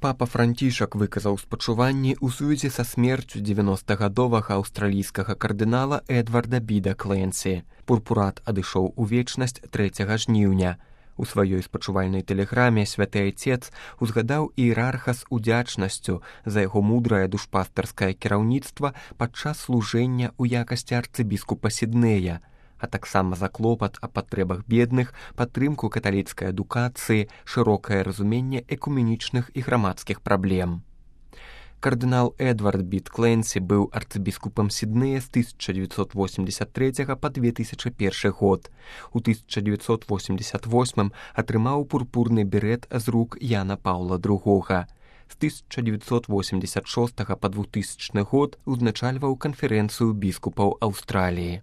Папа Францішак выказаў спачуванні ў сувязі са смерцю 90-гадовага аўстралійскага кардынала Эдварда Біда Кленсі. Пурпурат адышоў у вечнасць 3 жніўня. У сваёй спачувальнай тэлеграме святы айцец узгадаў іерарха з удзячнасцю за яго мудрае душпастарскае кіраўніцтва падчас служэння ў якасці арцыбіскупа Сіднея, а таксама за клопат о патрэбах бедных, падтрымку каталіцкай адукацыі, шырокае разуменне экуменічных і грамадскіх праблем. Кардынал Эдвард Бид Кленсі быў арцыбіскупам Сіднея з 1983 па 2001 год. У 1988 атрымаў пурпурны берет з рук Яна Паўла II. З 1986 па 2000 год узначальваў канферэнцыю біскупаў Аўстраліі.